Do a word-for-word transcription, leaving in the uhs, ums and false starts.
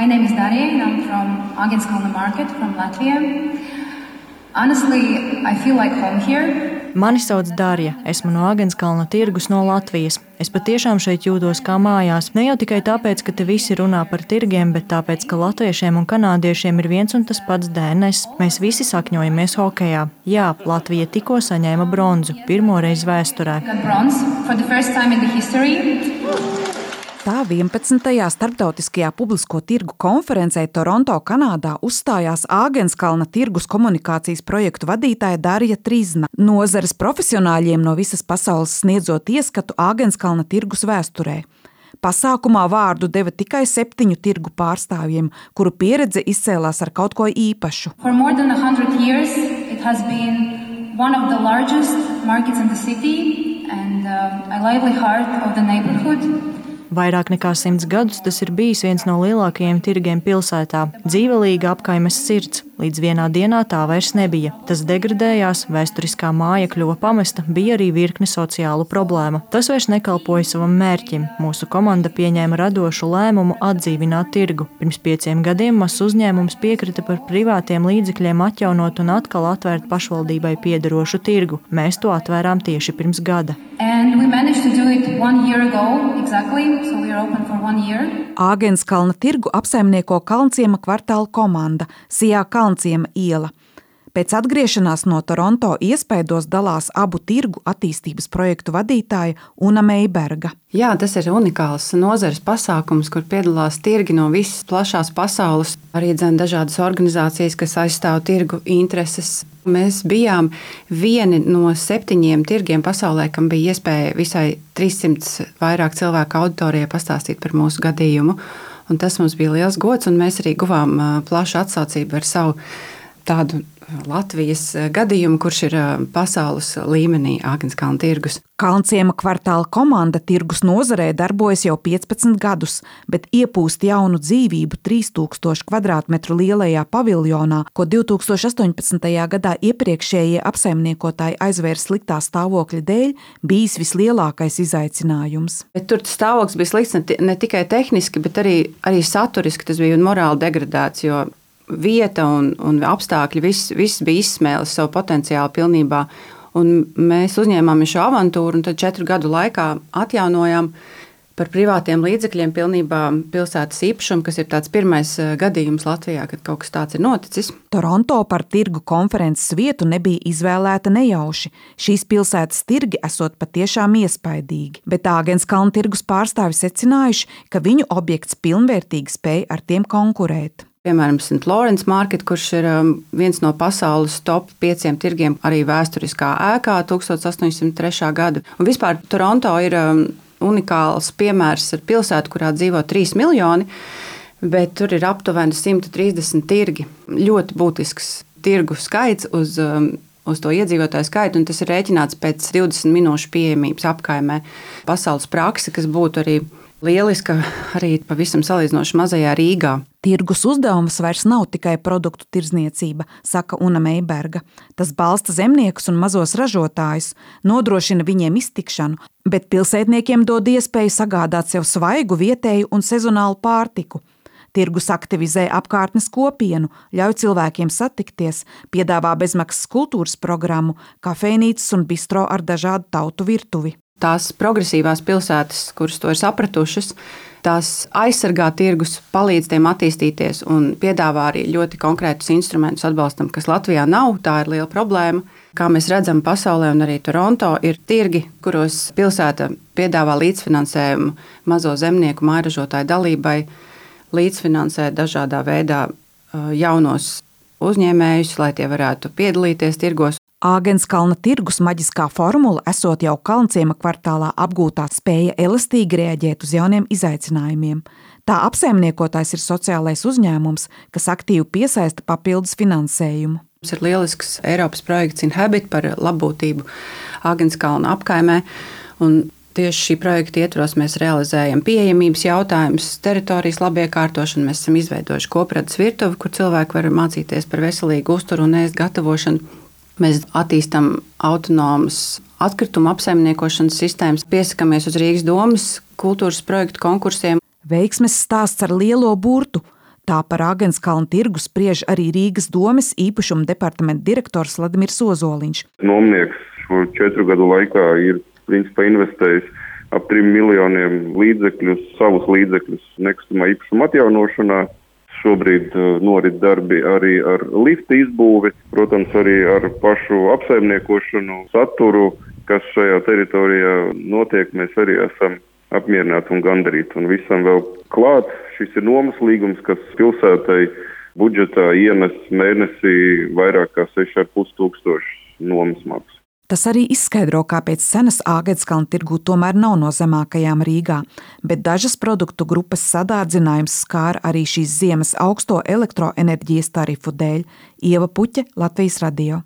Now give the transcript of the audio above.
My name is Darija and I'm from Agenskalna market from Latvia. Honestly, I feel like home here. Mani sauc Darija, esmu no Agenskalna tirgus no Latvijas. Es patiešām šeit jūtos kā mājās. Ne jau tikai tāpēc, ka te visi runā par tirgiem, bet tāpēc, ka latviešiem un kanādiešiem ir viens un tas pats D N S. Mēs visi sakņojamies hokejā. Jā, Latvija tikko saņēma bronzu, pirmo reizi vēsturē. Tā vienpadsmitajā starptautiskajā publisko tirgu konferencē Toronto, Kanādā uzstājās Agenskalna tirgus komunikācijas projektu vadītāja Darija Trizna, nozares profesionāļiem no visas pasaules sniedzot ieskatu Agenskalna tirgus vēsturē. Pasākumā vārdu deva tikai septiņu tirgu pārstāvjiem, kuru pieredze izcēlās ar kaut ko īpašu. For more than a hundred years, it has been one of the largest markets in the city and uh, a lively heart of the neighborhood. Vairāk nekā simts gadus tas ir bijis viens no lielākajiem tirgiem pilsētā. Dzīvelīga apkaimes sirds. Līdz vienā dienā tā vairs nebija. Tas degradējās, vēsturiskā māja kļuva pamesta, bija arī virkne sociālu problēmu. Tas vairs nekalpoja savam mērķim. Mūsu komanda pieņēma radošu lēmumu atdzīvināt tirgu. Pirms pieciem gadiem mazs uzņēmums piekrita par privātiem līdzekļiem atjaunot un atkal atvērt pašvaldībai piederošu tirgu. Mēs to atvērām tieši pirms gada. And we managed to do it one year ago, exactly, so we are open for one year. Agenskalna tirgu apsaimnieko Kalnciema kvartāla komanda, Sijā Kalnciema iela. Pēc atgriešanās no Toronto iespaidos dalās abu tirgu attīstības projektu vadītāja Una Meiberga. Jā, tas ir unikāls nozares pasākums, kur piedalās tirgi no visas plašās pasaules, arī dzen dažādas organizācijas, kas aizstāv tirgu intereses. Mēs bijām vieni no septiņiem tirgiem pasaulē, kam bija iespēja visai trīssimts vairāk cilvēku auditorijai pastāstīt par mūsu gadījumu. Un tas mums bija liels gods, un mēs arī guvām plašu atsaucību ar savu tādu Latvijas gadījumu, kurš ir pasaules līmenī Agenskalna tirgus. Kalnciema kvartāla komanda tirgus nozarē darbojas jau piecpadsmit gadus, bet iepūst jaunu dzīvību trīs tūkstoši kvadrātmetru lielajā paviljonā, ko divtūkstoš astoņpadsmitajā gadā iepriekšējie apsaimniekotāji aizvēra sliktā stāvokļa dēļ, bijis vislielākais izaicinājums. Bet tur stāvoklis bija slikts ne tikai tehniski, bet arī, arī saturiski, tas bija morāli degradēts, jo vieta un, un apstākļi, viss, viss bija izsmēlis savu potenciālu pilnībā. Un mēs uzņēmāmies šo avantūru un tad četru gadu laikā atjaunojām par privātiem līdzekļiem pilnībā pilsētas īpašumu, kas ir tāds pirmais gadījums Latvijā, kad kaut kas tāds ir noticis. Toronto par tirgu konferences vietu nebija izvēlēta nejauši. Šīs pilsētas tirgi esot patiešām iespaidīgi, bet Agenskalna tirgus pārstāvi secinājuši, ka viņu objekts pilnvērtīgi spēj ar tiem konkurēt. Piemēram, Saint Lawrence Market, kurš ir viens no pasaules top pieciem tirgiem, arī vēsturiskā ēkā tūkstoš astoņsimt trešā gada. Un vispār Toronto ir unikāls piemērs ar pilsētu, kurā dzīvo trīs miljoni, bet tur ir aptuveni simt trīsdesmit tirgi. Ļoti būtisks tirgu skaits uz, uz to iedzīvotāju skaitu, un tas ir rēķināts pēc divdesmit minūšu pieejamības apkaimē. Pasaules prakse, kas būtu arī lieliska arī pavisam salīdzinoši mazajā Rīgā. Tirgus uzdevums vairs nav tikai produktu tirdzniecība, saka Una Meiberga. Tas balsta zemniekus un mazos ražotājus, nodrošina viņiem iztikšanu, bet pilsētniekiem dod iespēju sagādāt sev svaigu, vietēju un sezonālu pārtiku. Tirgus aktivizē apkārtnes kopienu, ļauj cilvēkiem satikties, piedāvā bezmaksas kultūras programmu, kafejnīcas un bistro ar dažādu tautu virtuvi. Tās progresīvās pilsētas, kuras to ir sapratušas, tās aizsargā tirgus, palīdz tiem attīstīties un piedāvā arī ļoti konkrētus instrumentus atbalstam, kas Latvijā nav. Tā ir liela problēma. Kā mēs redzam pasaulē un arī Toronto, ir tirgi, kuros pilsēta piedāvā līdzfinansējumu mazo zemnieku mājražotāju dalībai, līdzfinansē dažādā veidā jaunos uzņēmējus, lai tie varētu piedalīties tirgos. Agenskalna tirgus maģiskā formula esot jau Kalnciema kvartālā apgūtā spēja elastīgi reaģēt uz jauniem izaicinājumiem. Tā apsaimniekotājs ir sociālais uzņēmums, kas aktīvi piesaista papildus finansējumu. Mums ir lielisks Eiropas projekts Inhabit par labbūtību Agenskalna apkaimē, un tieši šī projekta ietvaros mēs realizējam pieejamības jautājumus, teritorijas labiekārtošanu, mēs esam izveidojuši kopradas virtuvi, kur cilvēki var mācīties par veselīgu uzturu un ēst gatavošanu. Mēs attīstam autonomas atkrituma apsaimniekošanas sistēmas, piesakamies uz Rīgas domas kultūras projektu konkursiem. Veiksmes stāsts ar lielo burtu. Tā par Āgenskalna tirgu spriež arī Rīgas domes īpašuma departamenta direktors Vladimirs Ozoliņš. Nomnieks šo četru gadu laikā ir principā investējis ap trim miljoniem līdzekļus, savus līdzekļus nekustamā īpašuma atjaunošanā. Šobrīd norit darbi arī ar lifta izbūvi, protams, arī ar pašu apsaimniekošanu, saturu, kas šajā teritorijā notiek. Mēs arī esam apmierināti un gandarīti. Un visam vēl klāt, šis ir nomas līgums, kas pilsētai budžetā ienes mēnesī vairāk kā seši ar pus tūkstoši nomas maksu. Tas arī izskaidro, kāpēc cenas Āgenskalna tirgū tomēr nav no zemākajām Rīgā, bet dažas produktu grupas sadārdzinājums skāra arī šīs ziemas augsto elektroenerģijas tarifu dēļ. Ieva Puķe, Latvijas radio.